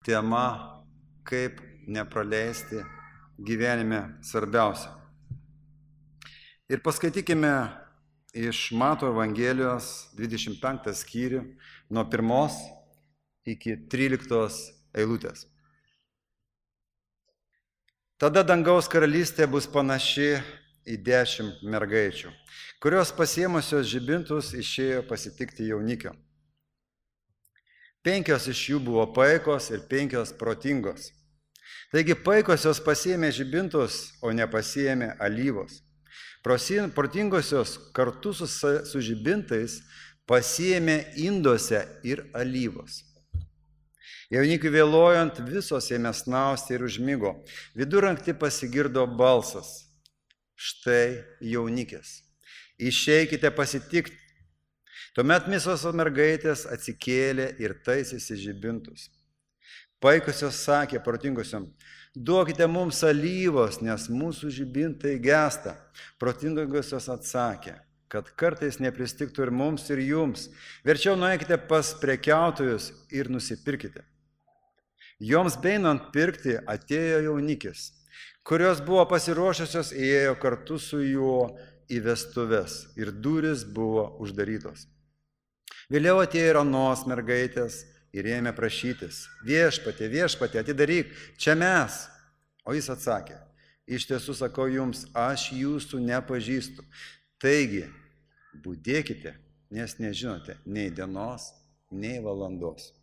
tema, kaip nepraleisti gyvenime svarbiausia. Ir paskaitykime iš Mato Evangelijos 25 skyrių nuo 1 iki 13 eilutės. Tada dangaus karalystė bus panaši į 10 mergaičių, kurios pasiėmusios žibintus išėjo pasitikti jaunikio. 5 iš jų buvo paikos ir 5 protingos. Taigi paikosios pasiėmė žibintus, o nepasiėmė alyvos. Protingosios kartu su žibintais pasiėmė induose ir alyvos. Jaunikiui vėluojant visos ėmė snausti ir užmigo. Vidurnaktį pasigirdo balsas. Štai jaunikis. Išeikite pasitikti. Tuomet visos mergaitės atsikėlė ir taisėsi žibintus. Paikosios sakė protingosiom, duokite mums alyvos, nes mūsų žibintai gęsta. Protingosios atsakė, kad kartais nepristigtų ir mums, ir jums. Verčiau nueikite pas prekiautojus ir nusipirkite. Joms beinant pirkti atėjo jaunikis, kurios buvo pasiruošusios, įėjo kartu su juo į vestuves ir durys buvo uždarytos. Vėliau atėjo ir anos mergaitės ir ėmė prašytis, viešpatie, atidaryk, čia mes. O jis atsakė, iš tiesų sakau jums, aš jūsų nepažįstu. Taigi, budėkite, nes nežinote nei dienos, nei valandos.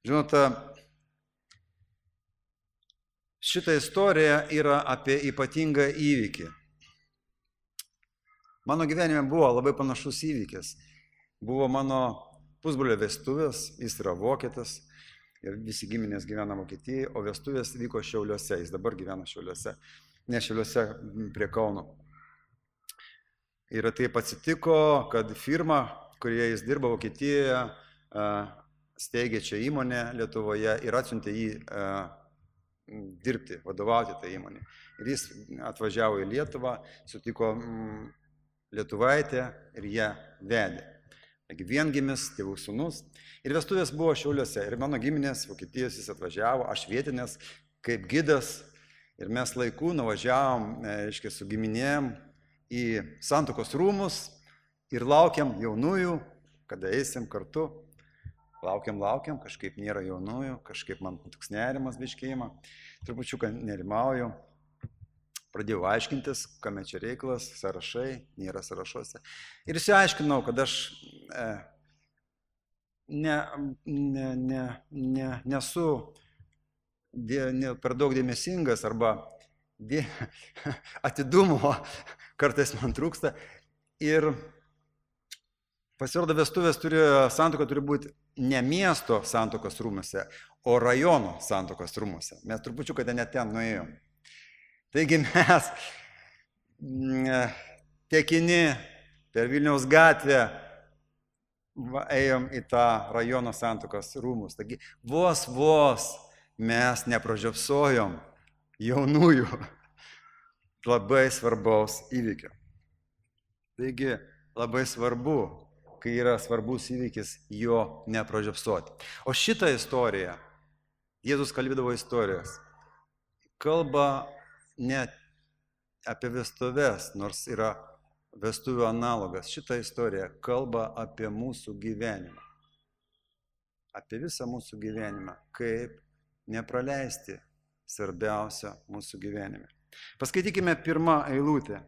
Žinote, šita istorija yra apie ypatingą įvykį. Mano gyvenime buvo labai panašus įvykis. Buvo mano pusbrolio vestuvės, jis yra vokietis ir visi giminės gyvena Vokietijoje, o vestuvės vyko Šiauliuose, jis dabar gyvena Šiauliuose, ne Šiauliuose prie Kauno. Ir taip atsitiko, kad firma, kurioje jis dirba Vokietijoje, steigė čia įmonę Lietuvoje ir atsiuntė jį dirbti, vadovauti tą įmonę. Ir jis atvažiavo į Lietuvą, sutiko lietuvaitę ir ją vedė. Taigi viengimis, tėvų sūnus. Ir vestuvės buvo Šiauliuose. Ir mano giminės Vokietijos jis atvažiavo, aš vietinės kaip gidas. Ir mes laiku nuvažiavom, su giminėm į Santuokos rūmus ir laukiam jaunųjų, kada eisim kartu. Laukiam, kažkaip nėra jaunųjų, kažkaip man toks nerimas biškėjimą. Trupučiuką nerimauju. Pradėjau aiškintis, kame čia reikalas, sąrašai, nėra sąrašuose. Ir išsiaiškinau, kad aš nesu per daug dėmesingas arba atidumo kartais man trūksta. Ir pasirodo vestuvės santuoka turi būti ne miesto santuokos rūmuose, o rajono santuokos rūmuose. Mes trupučiuką net ten nuėjom. Taigi mes tekini per Vilniaus gatvę ėjom į tą rajono santuokos rūmus. Taigi vos mes nepražiopsojom jaunųjų labai svarbaus įvykio. Taigi labai svarbu, kai yra svarbus įvykis, jo nepražiopsoti. O šitą istoriją, Jėzus kalbėdavo istorijas, kalba ne apie vestuves, nors yra vestuvių analogas. Šitą istoriją kalba apie mūsų gyvenimą. Apie visą mūsų gyvenimą, kaip nepraleisti svarbiausia mūsų gyvenime. Paskaitykime 1 eilutę.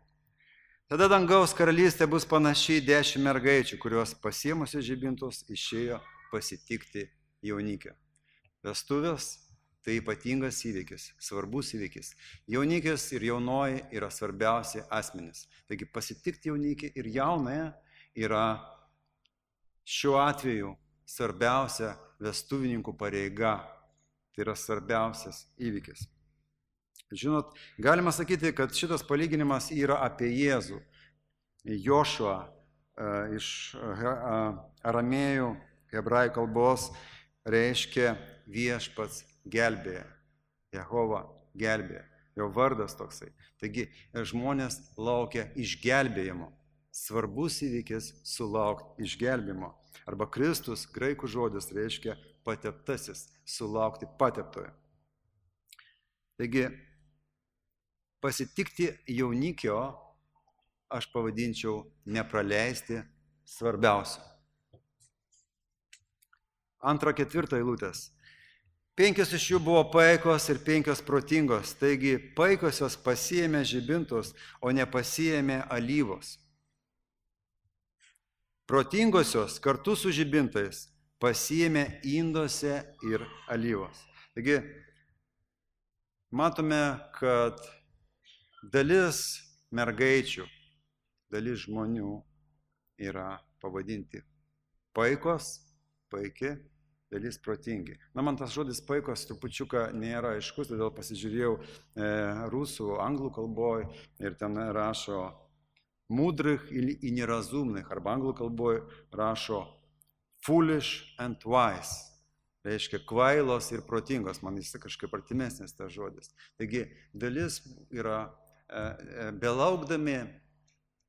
Tada dangaus karalystė bus panaši į 10 mergaičių, kurios pasiėmusios žibintus išėjo pasitikti jaunikio. Vestuvės tai ypatingas įvykis, svarbus įvykis. Jaunikis ir jaunoji yra svarbiausi asmenys. Taigi pasitikti jaunikį ir jaunąją yra šiuo atveju svarbiausia vestuvininkų pareiga. Tai yra svarbiausias įvykis. Žinot, galima sakyti, kad šitas palyginimas yra apie Jėzų. Jošua iš aramėjų, hebrajų kalbos reiškia viešpats gelbėja. Jehova gelbėja. Jo vardas toksai. Taigi žmonės laukia išgelbėjimo. Svarbus įvykis sulaukti išgelbėjimo. Arba Kristus, graikų žodis, reiškia pateptasis, sulaukti pateptojo. Taigi, pasitikti jaunikio aš pavadinčiau nepraleisti svarbiausio. 2-4 eilutės. 5 iš jų buvo paikos ir 5 protingos, taigi paikosios pasiėmė žibintus, o nepasiėmė alyvos. Protingosios kartu su žibintais pasiėmė induose ir alyvos. Taigi, matome, kad dalis mergaičių, dalis žmonių yra pavadinti paikos, paiki, dalis protingi. Man tas žodis paikos trupučiuką nėra aiškus, todėl pasižiūrėjau rusų, anglų kalboje ir ten rašo mudrych и неразумных, arba anglų kalboje rašo foolish and wise, reiškia kvailos ir protingos, man jis kažkaip artimesnis tas žodis. Taigi dalis yra belaukdami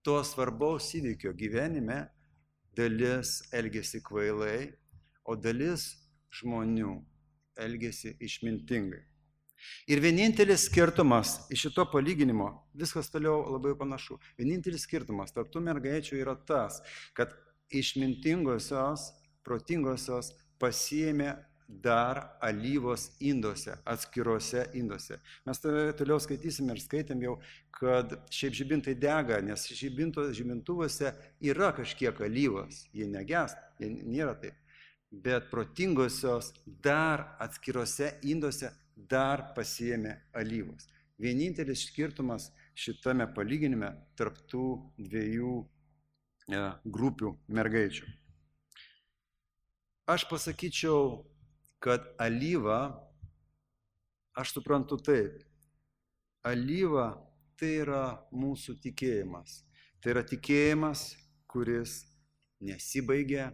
to svarbaus įvykio gyvenime, dalis elgiasi kvailai, o dalis žmonių elgiasi išmintingai. Ir vienintelis skirtumas iš šito palyginimo, viskas toliau labai panašu, vienintelis skirtumas tarp tų mergaičių yra tas, kad išmintingosios, protingosios pasiėmė dar alyvos induose, atskiruose induose. Mes toliau skaitysime ir skaitėm jau, kad šiaip žibintai dega, nes žibintuvuose yra kažkiek alyvos, jie negęsta, jie nėra taip. Bet protingosios dar atskiruose induose dar pasiėmė alyvos. Vienintelis skirtumas šitame palyginime tarp tų dviejų grupių mergaičių. Aš pasakyčiau, kad alyva, aš suprantu taip, alyva tai yra mūsų tikėjimas. Tai yra tikėjimas, kuris nesibaigia,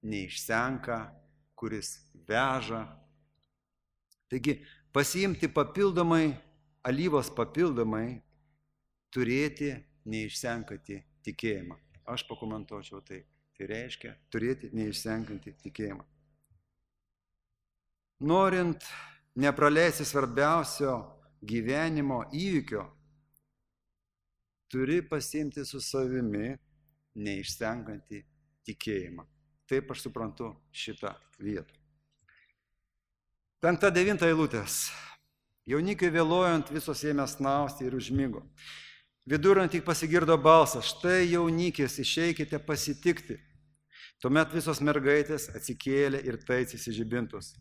neišsenka, kuris veža. Taigi, pasiimti papildomai, alyvos papildomai, turėti neišsenkantį tikėjimą. Aš pakomentuočiau tai. Tai reiškia turėti neišsenkantį tikėjimą. Norint nepraleisti svarbiausio gyvenimo įvykio, turi pasiimti su savimi neišsenkantį tikėjimą. Taip aš suprantu šitą vietą. 5-9 eilutės. Jaunikiui vėluojant visos ėmė snausti ir užmigo. Vidurnaktį pasigirdo balsas, štai jaunikis, išeikite pasitikti. Tuomet visos mergaitės atsikėlė ir taisėsi žibintus.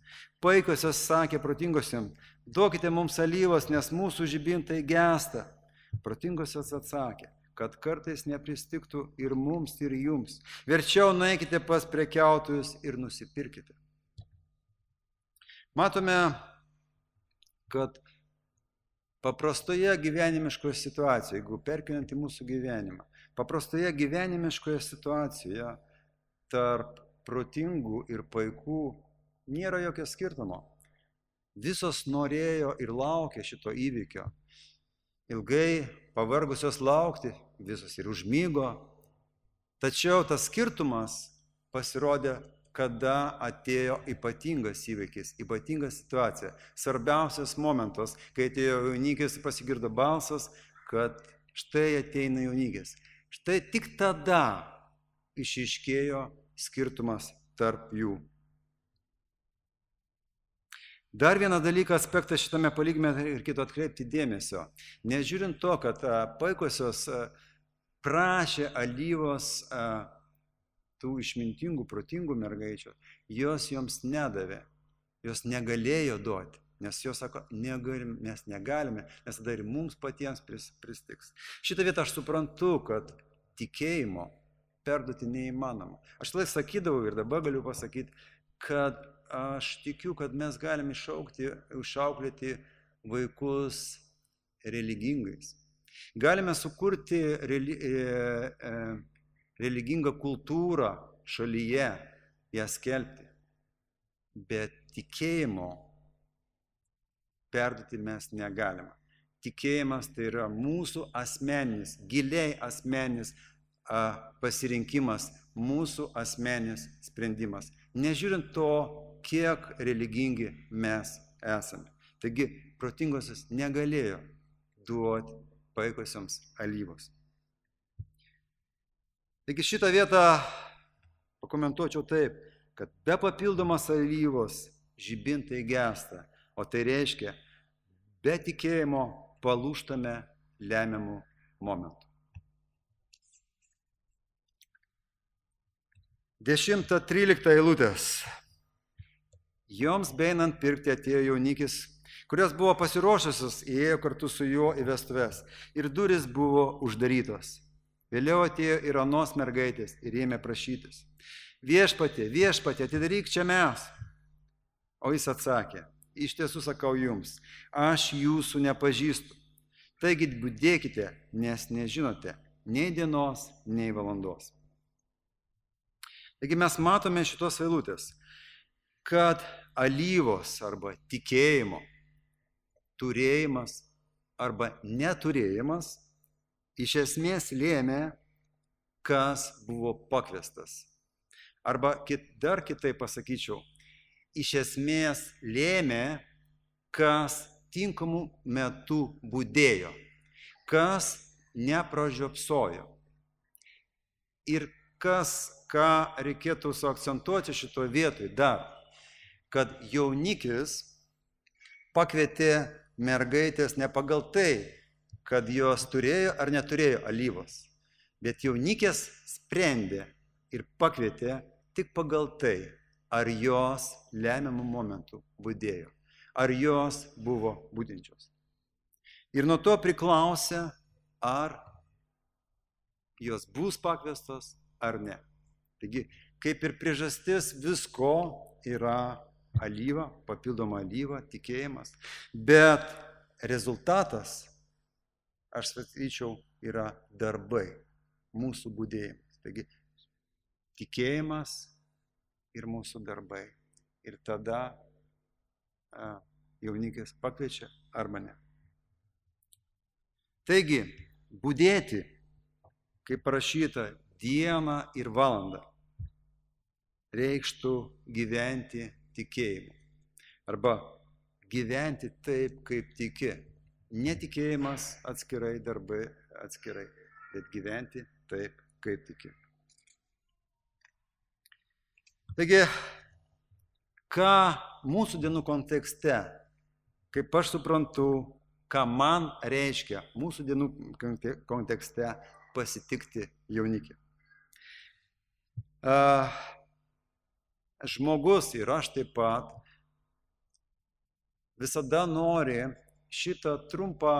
Paikosios sakė protingosiam, duokite mums alyvos, nes mūsų žibintai gęsta. Protingosios atsakė, kad kartais nepristiktų ir mums, ir jums. Verčiau nueikite pas prekiautojus ir nusipirkite. Matome, kad paprastoje gyvenimiškoje situacijoje, jeigu perkeliant į mūsų gyvenimą, paprastoje gyvenimiškoje situacijoje tarp protingų ir paikų nėra jokio skirtumo. Visos norėjo ir laukė šito įvykio. Ilgai pavargusios laukti, visos ir užmygo. Tačiau tas skirtumas pasirodė, kada atėjo ypatingas įvykis, ypatinga situacija. Svarbiausias momentas, kai atėjo jaunikis, pasigirdo balsas, kad štai ateina jaunikis. Štai tik tada išryškėjo skirtumas tarp jų. Dar vieną dalyką, aspektą šitame palyginime reikėtų atkreipti dėmesio. Nežiūrint to, kad paikosios prašė alyvos tų išmintingų, protingų mergaičių, jos joms nedavė, jos negalėjo duoti, nes jos sako, mes negalime, nes tada ir mums patiems pristiks. Šitą vietą aš suprantu, kad tikėjimo perduoti neįmanoma. Aš lai sakydavau ir dabar galiu pasakyti, kad aš tikiu, kad mes galime išauklėti vaikus religingais. Galime sukurti religingą kultūrą šalyje, ją skelbti. Bet tikėjimo perduoti mes negalime. Tikėjimas tai yra mūsų asmeninis, giliai asmeninis pasirinkimas mūsų asmeninis sprendimas, nežiūrint to, kiek religingi mes esame. Taigi, protingosios negalėjo duoti paikosioms alyvos. Taigi šitą vietą pakomentuočiau taip, kad be papildomos alyvos žibintai gęsta, o tai reiškia, be tikėjimo palūžtame lemiamų momentų. 10-13 eilutės. Joms beinant pirkti atėjo jaunikis, kurios buvo pasiruošusios, įėjo kartu su juo į vestuves, ir durys buvo uždarytos. Vėliau atėjo ir anos mergaitės ir ėmė prašytis. Viešpatie, viešpatie, atidaryk čia mes. O jis atsakė, iš tiesų sakau jums, aš jūsų nepažįstu. Taigi budėkite, nes nežinote nei dienos, nei valandos. Taigi mes matome šitos eilutės, kad alyvos arba tikėjimo turėjimas arba neturėjimas iš esmės lėmė, kas buvo pakviestas. Arba dar kitaip pasakyčiau, iš esmės lėmė, kas tinkamų metų budėjo, kas nepražiopsojo. Ir ką reikėtų suakcentuoti šitoje vietoje dar, kad jaunikis pakvietė mergaitės ne pagal tai, kad jos turėjo ar neturėjo alyvos, bet jaunikės sprendė ir pakvietė tik pagal tai, ar jos lemiamų momentų budėjo, ar jos buvo budinčios. Ir nuo to priklausė, ar jos bus pakviestos ar ne. Taigi, kaip ir priežastis visko yra alyva, papildoma alyva, tikėjimas, bet rezultatas, aš sakyčiau, yra darbai, mūsų budėjimas. Taigi, tikėjimas ir mūsų darbai. Ir tada jaunikis pakviečia arba ne. Taigi, budėti, kaip parašyta, dieną ir valandą, reikštų gyventi tikėjimu. Arba gyventi taip, kaip tiki. Netikėjimas atskirai, darbai atskirai, bet gyventi taip, kaip tiki. Taigi, ką mūsų dienų kontekste, kaip aš suprantu, ką man reiškia mūsų dienų kontekste pasitikti jaunikį. Žmogus ir aš taip pat visada nori šitą trumpą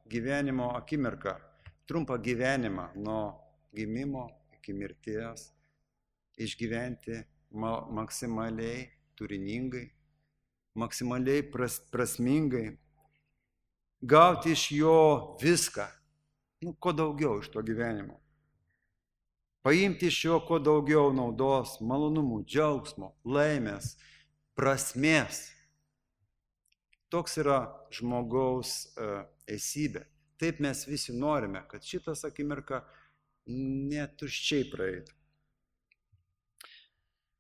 gyvenimo akimirką, trumpą gyvenimą nuo gimimo iki mirties išgyventi maksimaliai turiningai, maksimaliai prasmingai, gauti iš jo viską, kuo daugiau iš to gyvenimo. Paimti iš jo kuo daugiau naudos, malonumų, džiaugsmo, laimės, prasmės. Toks yra žmogaus esybė. Taip mes visi norime, kad šitas akimirka netuščiai praeitų.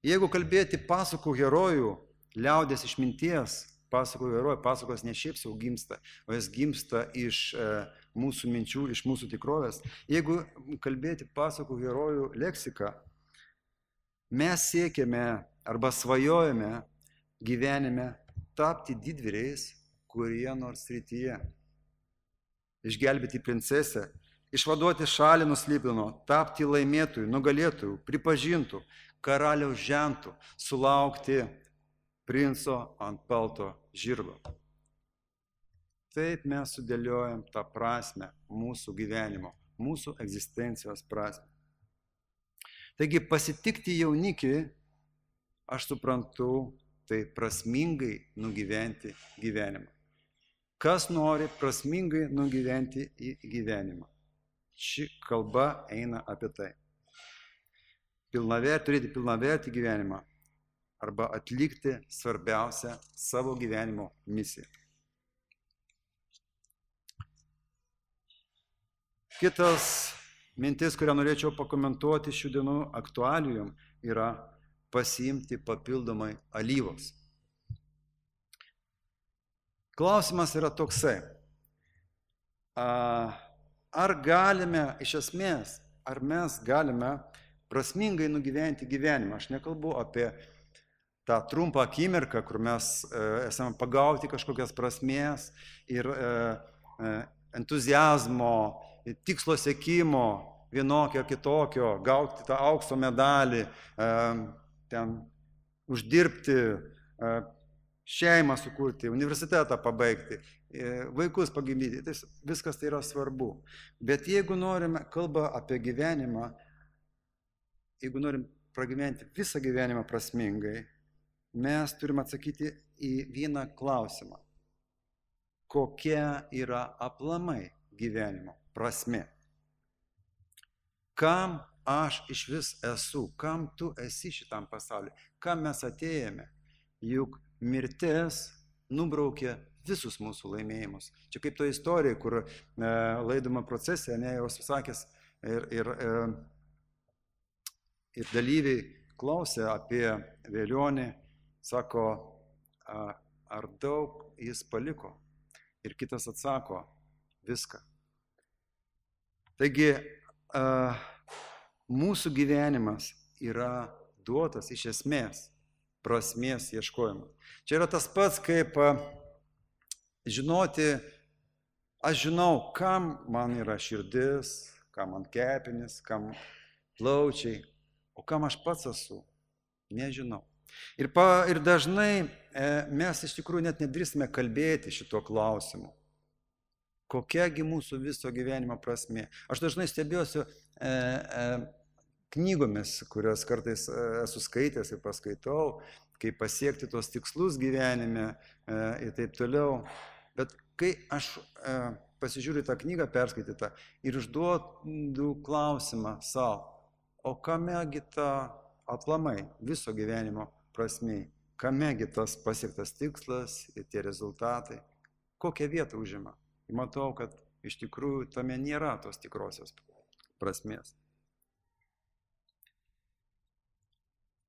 Jeigu kalbėti pasakų herojų, liaudės išminties, pasakų herojų, pasakos ne šiaip sau gimsta, o jis gimsta iš mūsų minčių, iš mūsų tikrovės. Jeigu kalbėti pasakų herojų leksiką, mes siekiame arba svajojame gyvenime tapti didvyriais kurie nors srityje. Išgelbėti princesę, išvaduoti šalį nuo Slibino, tapti laimėtojų, nugalėtojų, pripažintų, karaliaus žentų, sulaukti princo ant balto žirgo. Taip mes sudėliojam tą prasmę mūsų gyvenimo, mūsų egzistencijos prasmę. Taigi pasitikti jaunikį, aš suprantu, tai prasmingai nugyventi gyvenimą. Kas nori prasmingai nugyventi į gyvenimą? Ši kalba eina apie tai. Turėti pilnavertį gyvenimą arba atlikti svarbiausią savo gyvenimo misiją. Kitas mintis, kurią norėčiau pakomentuoti šių dienų aktualijom, yra pasiimti papildomai alyvos. Klausimas yra toksai. Ar galime iš esmės, ar mes galime prasmingai nugyventi gyvenimą? Aš nekalbu apie tą trumpą akimirką, kur mes esame pagauti kažkokias prasmės ir entuziazmo, tikslo siekimo, vienokio kitokio, gauti tą aukso medalį, ten uždirbti, šeimą sukurti, universitetą pabaigti, vaikus pagimdyti. Tai viskas tai yra svarbu. Bet jeigu norime, kalba apie gyvenimą, jeigu norim pragyventi visą gyvenimą prasmingai, mes turime atsakyti į vieną klausimą. Kokia yra aplamai gyvenimo prasmė? Kam aš iš vis esu? Kam tu esi šitam pasauliu? Kam mes atėjome? Juk mirtis nubraukė visus mūsų laimėjimus. Čia kaip to istorija, kur laidomo procese, jau susakęs ir dalyviai klausė apie velionį, sako, ar daug jis paliko? Ir kitas atsako, viską. Taigi, mūsų gyvenimas yra duotas iš esmės prasmės ieškojimas. Čia yra tas pats, kaip žinoti, aš žinau, kam man yra širdis, kam man kepenis, kam plaučiai, o kam aš pats esu, nežinau. Ir dažnai mes iš tikrųjų net nedrįsime kalbėti šito klausimu. Kokiagi mūsų viso gyvenimo prasmė? Aš dažnai stebiuosi knygomis, kurias kartais esu skaitęs ir paskaitau, kaip pasiekti tos tikslus gyvenime ir taip toliau. Bet kai aš pasižiūriu tą knygą perskaitytą ir užduodu klausimą savo, o kamegi ta aplamai viso gyvenimo prasmė, kamegi tas pasiektas tikslas ir tie rezultatai, kokią vietą užima. Ir matau, kad iš tikrųjų tame nėra tos tikrosios prasmės.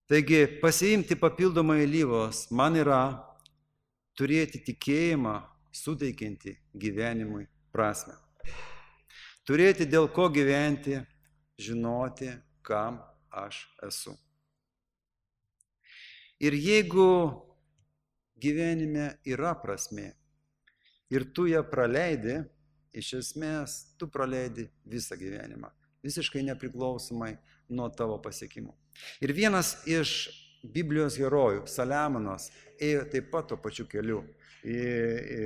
Taigi, pasiimti papildomai alyvos man yra turėti tikėjimą, suteikiantį gyvenimui prasmę. Turėti dėl ko gyventi, žinoti, kam aš esu. Ir jeigu gyvenime yra prasmė ir tu ją praleidi, iš esmės tu praleidi visą gyvenimą, visiškai nepriklausomai nuo tavo pasiekimų. Ir vienas iš Biblijos herojų, Saliamonas, ėjo taip pat tuo pačiu keliu.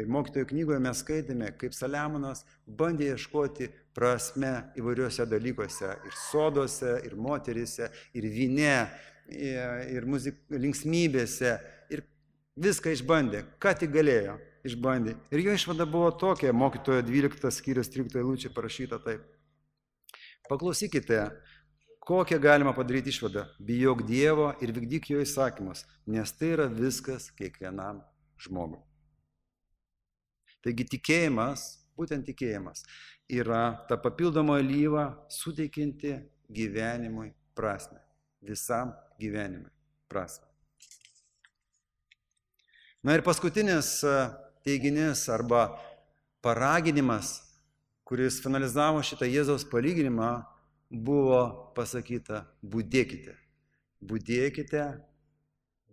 Mokytojų knygoje mes skaitėme, kaip Saliamonas bandė ieškoti prasme įvairiuose dalykuose, ir soduose, ir moteryse, ir vyne, ir linksmybėse, ir viską išbandė, ką tik galėjo, išbandė. Ir jo išvada buvo tokia, mokytojo 12 skyrius 13 eilučių parašyta taip. Paklausykite, kokią galima padaryti išvadą. Bijok Dievo ir vykdyk jo įsakymus, nes tai yra viskas kiekvienam žmogui. Taigi tikėjimas, būtent tikėjimas, yra ta papildoma alyva suteikianti gyvenimui prasmę. Visam gyvenimui prasmę. Na ir paskutinis teiginys arba paraginimas, kuris finalizavo šitą Jėzaus palyginimą, buvo pasakyta budėkite. Budėkite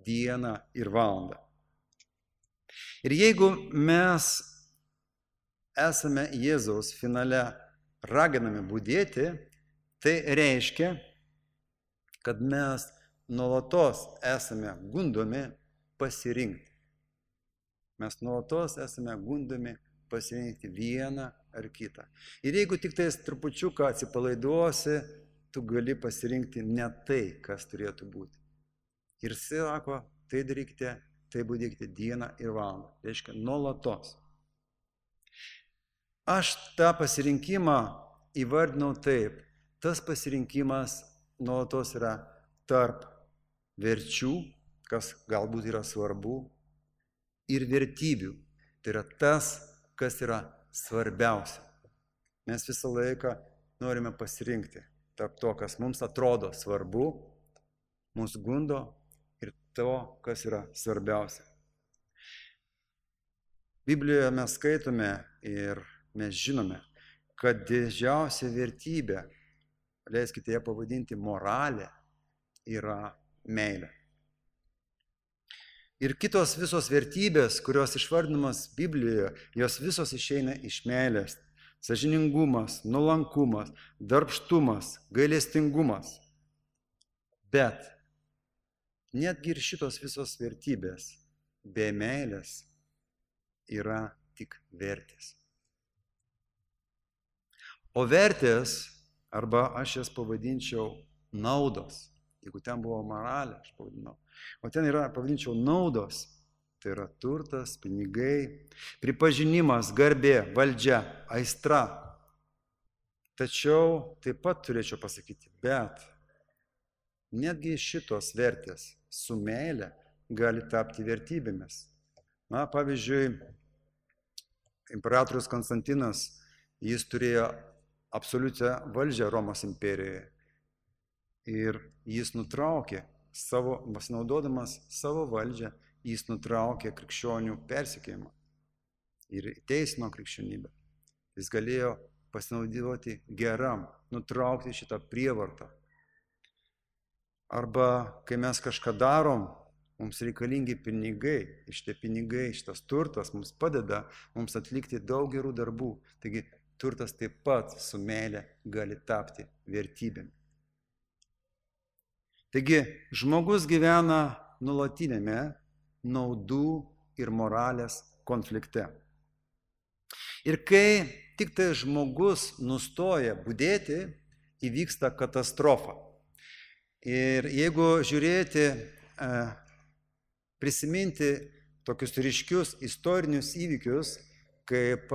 dieną ir valandą. Ir jeigu mes esame Jėzaus finale raginami budėti, tai reiškia, kad mes nuolatos esame gundomi pasirinkti. Mes nuolatos esame gundomi pasirinkti vieną ar kitą. Ir jeigu tik tais trupučiuką atsipalaiduosi, tu gali pasirinkti ne tai, kas turėtų būti. Ir sako, tai darykite, tai budėkite dieną ir valandą. Reiškia, nuolatos. Aš tą pasirinkimą įvardinau taip. Tas pasirinkimas nuolatos yra tarp verčių, kas galbūt yra svarbu, ir vertybių. Tai yra tas, kas yra svarbiausia. Mes visą laiką norime pasirinkti tarp to, kas mums atrodo svarbu, mūsų gundo ir to, kas yra svarbiausia. Biblijoje mes skaitome ir mes žinome, kad didžiausia vertybė, leiskite ją pavadinti moralė, yra meilė. Ir kitos visos vertybės, kurios išvardinamas Biblijoje, jos visos išeina iš meilės. Sąžiningumas, nuolankumas, darbštumas, gailestingumas. Bet netgi ir šitos visos vertybės be meilės yra tik vertės. O vertės, arba aš jas pavadinčiau naudos, jeigu ten buvo moralė, aš pavadinau, o ten yra, pavadinčiau, naudos, tai yra turtas, pinigai, pripažinimas, garbė, valdžia, aistra. Tačiau taip pat turėčiau pasakyti, bet netgi šitos vertės su meile gali tapti vertybėmis. Na, pavyzdžiui, imperatorius Konstantinas, jis turėjo absoliučią valdžią Romos imperijoje ir jis nutraukė pasinaudodamas savo valdžią, jis nutraukė krikščionių persekiojimą ir teisino krikščionybę. Jis galėjo pasinaudoti geram, nutraukti šitą prievartą. Arba kai mes kažką darom, mums reikalingi pinigai, ir šitie pinigai, šitas turtas mums padeda mums atlikti daug gerų darbų. Taigi turtas taip pat su meile gali tapti vertybėm. Taigi žmogus gyvena nuolatinėme naudų ir moralės konflikte. Ir kai tik tai žmogus nustoja budėti, įvyksta katastrofa. Ir jeigu žiūrėti, prisiminti tokius ryškius istorinius įvykius, kaip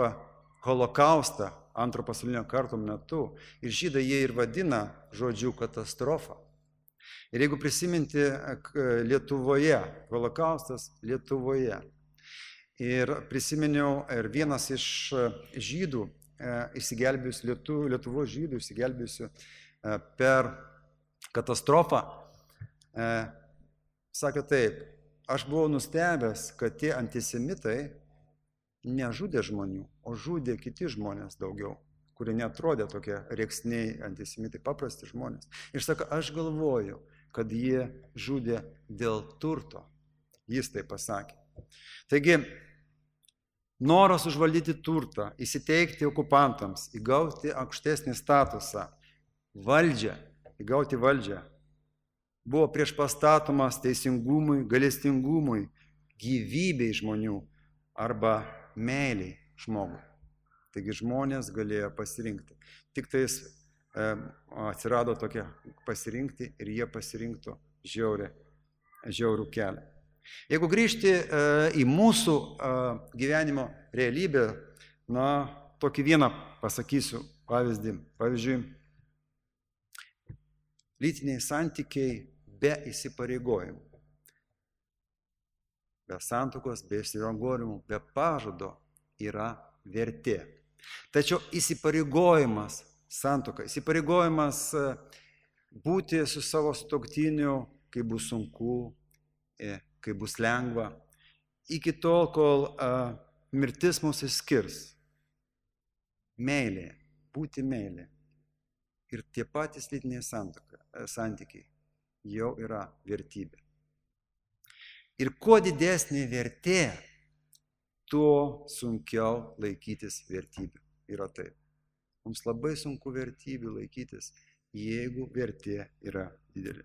holokaustą Antro pasaulinio karo metu, ir žydai jie ir vadina žodžiu katastrofą. Ir jeigu prisiminti Lietuvoje, holokaustas Lietuvoje, ir prisiminiau ir vienas iš žydų, Lietuvos žydų išsigelbėjusių per katastrofą, sakė taip, aš buvau nustebęs, kad tie antisemitai nežudė žmonių, o žudė kiti žmonės daugiau, kurie netrodė tokie rėksniai antisemitai, paprasti žmonės. Ir sako, aš galvoju, kad jie žudė dėl turto. Jis tai pasakė. Taigi, noras užvaldyti turtą, įsiteikti okupantams, įgauti aukštesnį statusą, įgauti valdžią, buvo priešpastatomas teisingumui, gailestingumui, gyvybei žmonių arba meiliai žmogui. Taigi žmonės galėjo pasirinkti. Tik tais atsirado tokia pasirinkti ir jie pasirinktų žiaurų kelią. Jeigu grįžti į mūsų gyvenimo realybę, na, tokį vieną pasakysiu pavyzdį. Pavyzdžiui, lytiniai santykiai be įsipareigojimų. Be santuokos, be įsipareigojimų, be pažado yra vertė. Tačiau įsipareigojimas, santuoka, įsipareigojimas būti su savo sutuoktiniu, kai bus sunku, kai bus lengva, iki tol, kol mirtis mūsų išskirs. Meilė, būti meilė. Ir tie patys lytiniai santykiai jau yra vertybė. Ir kuo didesnė vertė, tuo sunkiau laikytis vertybių. Yra taip. Mums labai sunku vertybių laikytis, jeigu vertė yra didelė.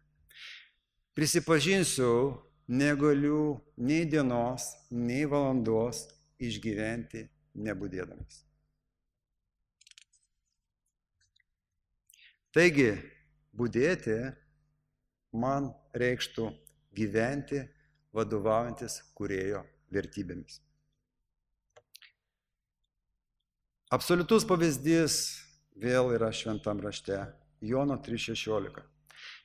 Prisipažinsiu, negaliu nei dienos, nei valandos išgyventi nebudėdamas. Taigi, budėti man reikštų gyventi vadovaujantis Kūrėjo vertybėmis. Absoliutus pavyzdys vėl yra šventam rašte, Jono 3,16.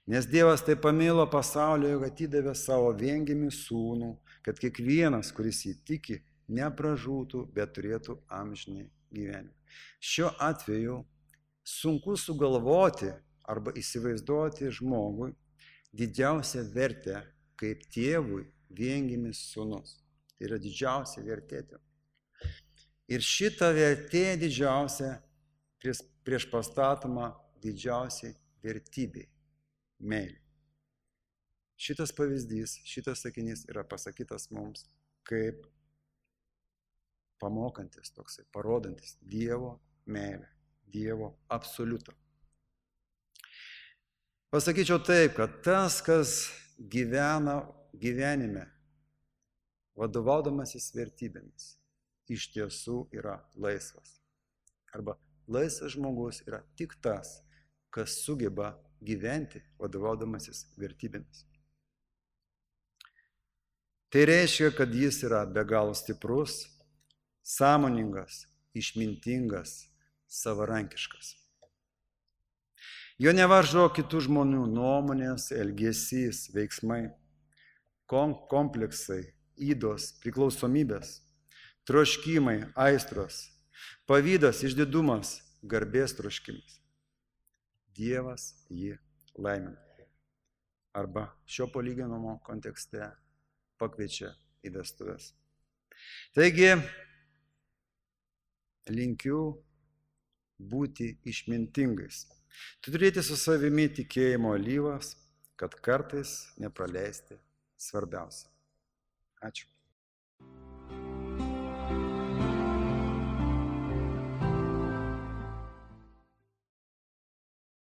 Nes Dievas taip pamilo pasaulį, jog atidavė savo viengimį sūnų, kad kiekvienas, kuris jį tiki, nepražūtų, bet turėtų amžinį gyvenimą. Šiuo atveju sunku sugalvoti arba įsivaizduoti žmogui didžiausią vertę kaip tėvui viengimis sūnus. Tai yra didžiausia vertė. Ir šita vertė didžiausia prieš pastatoma didžiausiai vertybei – meilė. Šitas pavyzdys, šitas sakinys yra pasakytas mums kaip pamokantis toksai, parodantis Dievo meilę, Dievo absoliutą. Pasakyčiau taip, kad tas, kas gyvena gyvenime, vadovaudamasis vertybėmis, iš tiesų yra laisvas. Arba laisvas žmogus yra tik tas, kas sugeba gyventi vadovaudamasis vertybėmis. Tai reiškia, kad jis yra be galo stiprus, sąmoningas, išmintingas, savarankiškas. Jo nevaržo kitų žmonių nuomonės, elgesys, veiksmai, kompleksai, ydos, priklausomybės, troškimai, aistros, pavydas, išdidumas, garbės troškimas. Dievas jį laimina. Arba šio palyginimo kontekste pakviečia į vestuves. Taigi, linkiu būti išmintingais. Turėti su savimi tikėjimo alyvas, kad kartais nepraleisti svarbiausia. Ačiū.